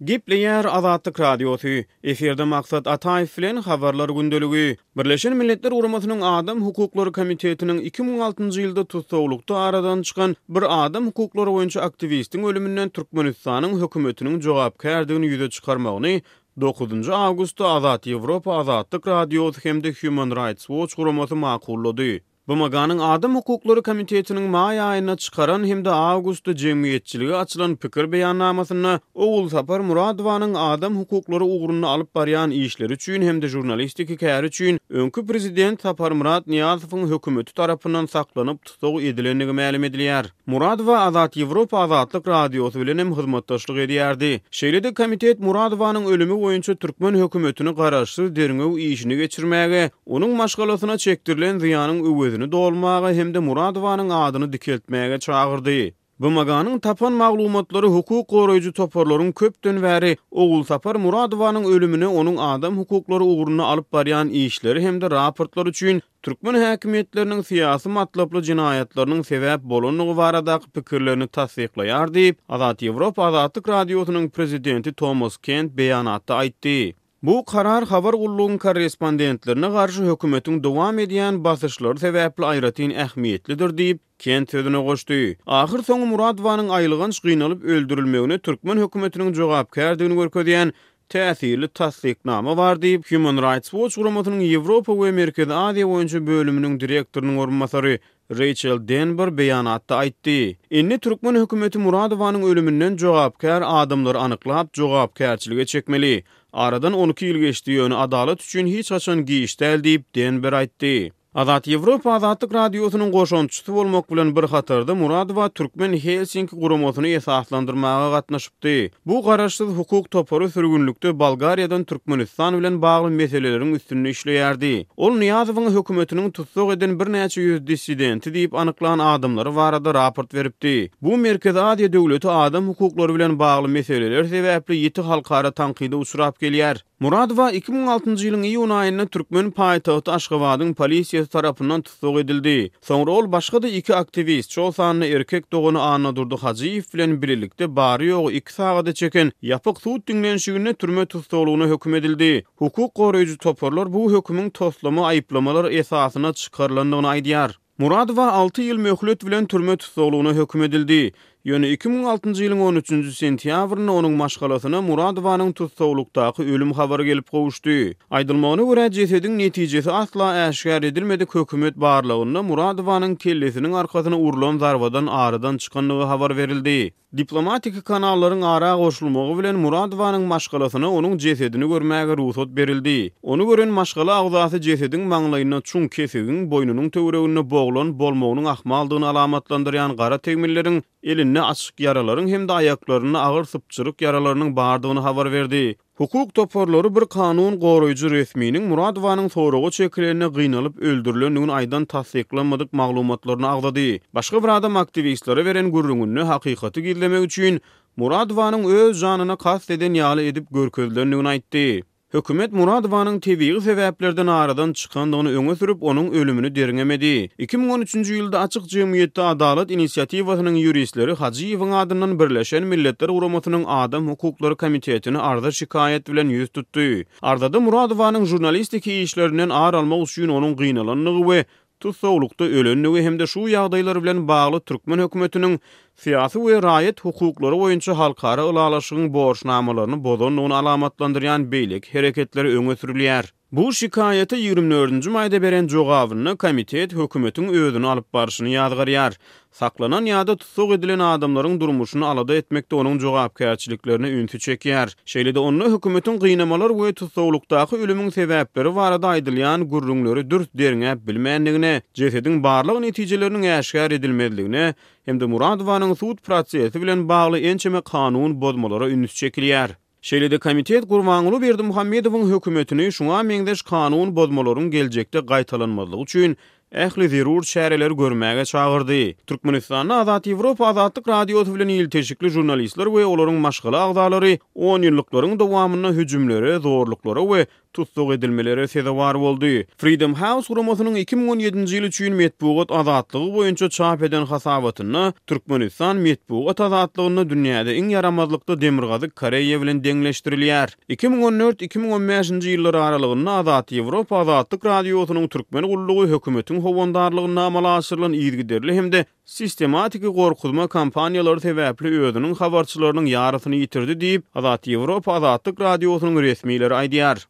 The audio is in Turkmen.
Gepleýär Azatlyk Radiosy, Efirde Maksat Ataýew bilen Habarlar gündeligi. Birleşen Milletler Guramasynyň Adam hukuklary komitetiniň 2006-njy ýylda tussaglykda aradan çykan bir adam hukuklary boýunça aktiwistiň ölüminden Türkmenistanyň hökümetiniň jogapkärdigini ýüze çykarmagyny dokuzynjy awgustda Azat Ýewropa Azatlyk Radiosy hem-de Human Rights Watch guramasy makullady. BMG-niň Adam hukuklary komitetiniň maý aýynda çykaran hem-de awgustda jemgyýetçilige açylan pikir beýannamasynda Ogulsapar Muradowanyň adam hukuklary ugrunda alyp barýan işleri üçin hem-de žurnalistiki käri üçin öňki prezident Saparmyrat Nyýazowyň hökümeti tarapyndan saklanyp tussag edilendigi mälim edilýär. Muradowa Azat Ýewropa Azatlyk Radiosy bilen hem hyzmatdaşlyk edýärdi. Şeýle-de komitet Muradowanyň ölümi boýunça türkmen hökümetini garaşsyz derňew işini geçirmäge, onuň maşgalasyna çekdirilen zyýanyň öwezini dolmaga hem-de Muradowanyň adyny dikeltmäge çagyrdy. BMG-niň tapan maglumatlary hukuk goraýjy toparlaryň köpden bäri Ogulsapar Muradowanyň ölümine onuň adam hukuklary ugrunda alyp barýan işleri hem-de raportlary üçin türkmen häkimiýetleriniň syýasy matlaply jenaýatlarynyň sebäp bolandygy baradaky pikirlerini tassyklaýar diýip, Azat Ýewropa Azatlyk Radiosynyň prezidenti Tomas Kent beýanatda aýtdy. Bu karar habar gullugyň korrespondentlerine garşy hökümetiň dowam edýän basyşlary sebäpli aýratyn ähmiýetlidir diýip, Kent sözüne goşdy. Ahyrsoňy Muradowanyň aýylganç gynalyp öldürilmegine türkmen hökümetiniň jogapkärdigini görkezýän täsirli tassyknama bar diýip, Human Rights Watch guramasynyň Ýewropa we Merkezi Aziýa boýunça bölüminiň direktorynyň orunbasary Reýçel Denber beýanatda aýtdy. Indi türkmen hökümeti Muradowanyň ölüminden jogapkär adamlary anyklap, jogapkärçilige çekmeli. Aradan 12 ýyl geçdi, ýöne adalat üçin hiç haçan giç däl diýip, Denber aýtdy. Azat Ýewropa Azatlyk Radiosynyň goşantçysy bolmak bilen bir hatarda Muradowa Türkmen Helsinki guramasyny esaslandyrmaga gatnaşypdy. Bu garaşsyz hukuk topary sürgünlikde Bolgariýadan Türkmenistan bilen bagly meseleleriň üstünde işleýärdi. Ol Nyýazowyň hökümetiniň tussag eden birnäçe ýüz dissidenti diýip anyklan adamlary barada raport beripdi. Bu Merkezi Aziýa döwleti adam hukuklary bilen bagly meseleler sebäpli ýiti halkara tankyda uçrap gelýär. Muradowa 2006-njy ýylyň iýun aýynda türkmen paýtagty Aşgabadyň polisiýasy tarapyndan tussag edildi. Soňra ol başga-da iki aktiwist, şol sanda erkek dogany Annadurdy Hajyýew bilen bilelikde bary-ýogy iki sagada çeken ýapyk sud diňlenişiginde türme tussaglygyna höküm edildi. Hukuk goraýjy toparlar bu hökümiň toslama aýyplamalar esasynda çykarylandygyny aýdýar. Muradowa alty ýyl möhlet bilen türme tussaglygyna höküm edildi. Ýöne 2006-njy ýylyň on üçünji sentýabrynda onuň maşgalasyna Muradowanyň tussaglykdaky ölüm habary gelip gowuşdy. Aýdylmagyna görä, jesediň netijesi asla äşgär edilmedik hökümet barlagynda Muradowanyň kellesiniň arkasyna urlan zarbadan aradan çykandygy habar berildi. Diplomatiki kanallaryň ara goşulmagy bilen Muradowanyň maşgalasyna onuň jesedini görmäge rugsat berildi. Ony gören maşgala agzasy jesediň maňlaýynda çuň kesigiň, boýnunyň töwereginde boglan bolmagynyň ahmaldygyny alamatlandyrýan gara tegmilleriň, elinde açyk ýaralaryň hem-de aýaklarynda agyr sypjyryk ýaralarynyň bardygyny habar berdi. Hukuk toparlary bir kanun goraýjy resminiň Muradowanyň soraga çekileninde gynalyp öldürilendigini aýdan tassyklanmadyk maglumatlaryny agzady. Başga bir adam aktiwistlere beren gürrüňinde hakykaty gizlemek üçin Muradowanyň öz janyna kast eden ýaly edip görkezilendigini aýtdy. Hökümet Muradowanyň tebigy sebäplerden aradan çykandygyny öňe sürüp, onuň ölümini derňemedi. 2013-nji ýylda Açyk jemgyýetde adalat inisiatiwasynyň ýuristleri Hajyýewiň adyndan Birleşen Milletler Guramasynyň Adam hukuklary komitetine arza-şikaýat bilen ýüz tutdy. Arzada Muradowanyň žurnalistiki işlerinden ar almak üçin onuň gynalandygy we tussaglykda ölendigi hem-de şu ýagdaýlar bilen bagly türkmen hökümetiniň syýasy we raýat hukuklary boýunça halkara ylalaşygyň borçnamalaryny bozandygyny alamatlandyrýan beýleki hereketleri öňe sürülýär. Bu şikaýata 24-nji maýda beren jogabynda komitet hökümetiň özüni alyp barşyny ýazgarýar. Saklanan ýa-da tussag edilen adamlaryň durmuşyny alada etmekde onuň jogapkärçiliklerine ünsi çekýär. Şeýle-de onda hökümetiň gynamalar we tussaglykdaky ölümiň sebäpleri barada aýdylýan gürrüňleri dürs derňäp bilmändigine, jesediň barlag netijeleriniň äşgär edilmezligine hem-de Muradowanyň sud prosesi bilen bagly ençeme kanun bozmalara üns çekilýär. Şeýle-de komitet Gurbanguly Berdimuhamedowyň hökümetini şuňa meňzeş kanun bozmalaryň geljekde gaýtalanmazlygy üçin ähli zerur çäreleri görmäge çagyrdy. Türkmenistanda Azat Ýewropa Azatlyk Radiosy bilen ilteşikli žurnalistler we olaryň maşgala agzalary onýyllyklaryň dowamynda hüjümlere, zorluklara we tussag edilmelere sezewar boldy. Freedom House guramasynyň 2017-nji ýyl üçin metbugat azatlygy boýunça çap eden hasabatynda Türkmenistan metbugat azatlygynda dünýäde iň ýaramazlykda Demirgazyk Koreýa bilen deňleşdirilýär. 2014, 2015-nji ýyllar aralygynda Azat Ýewropa Azatlyk Radiosynyň Türkmen gullugy hökümetiň howandarlygynda amala aşyrylan yzygiderli hem-de sistematiki gorkuzma kampaniýalary sebäpli özüniň habarçylarynyň ýarysyny ýitirdi diýip, Azat Ýewropa Azatlyk Radiosynyň resmileri aýdýar.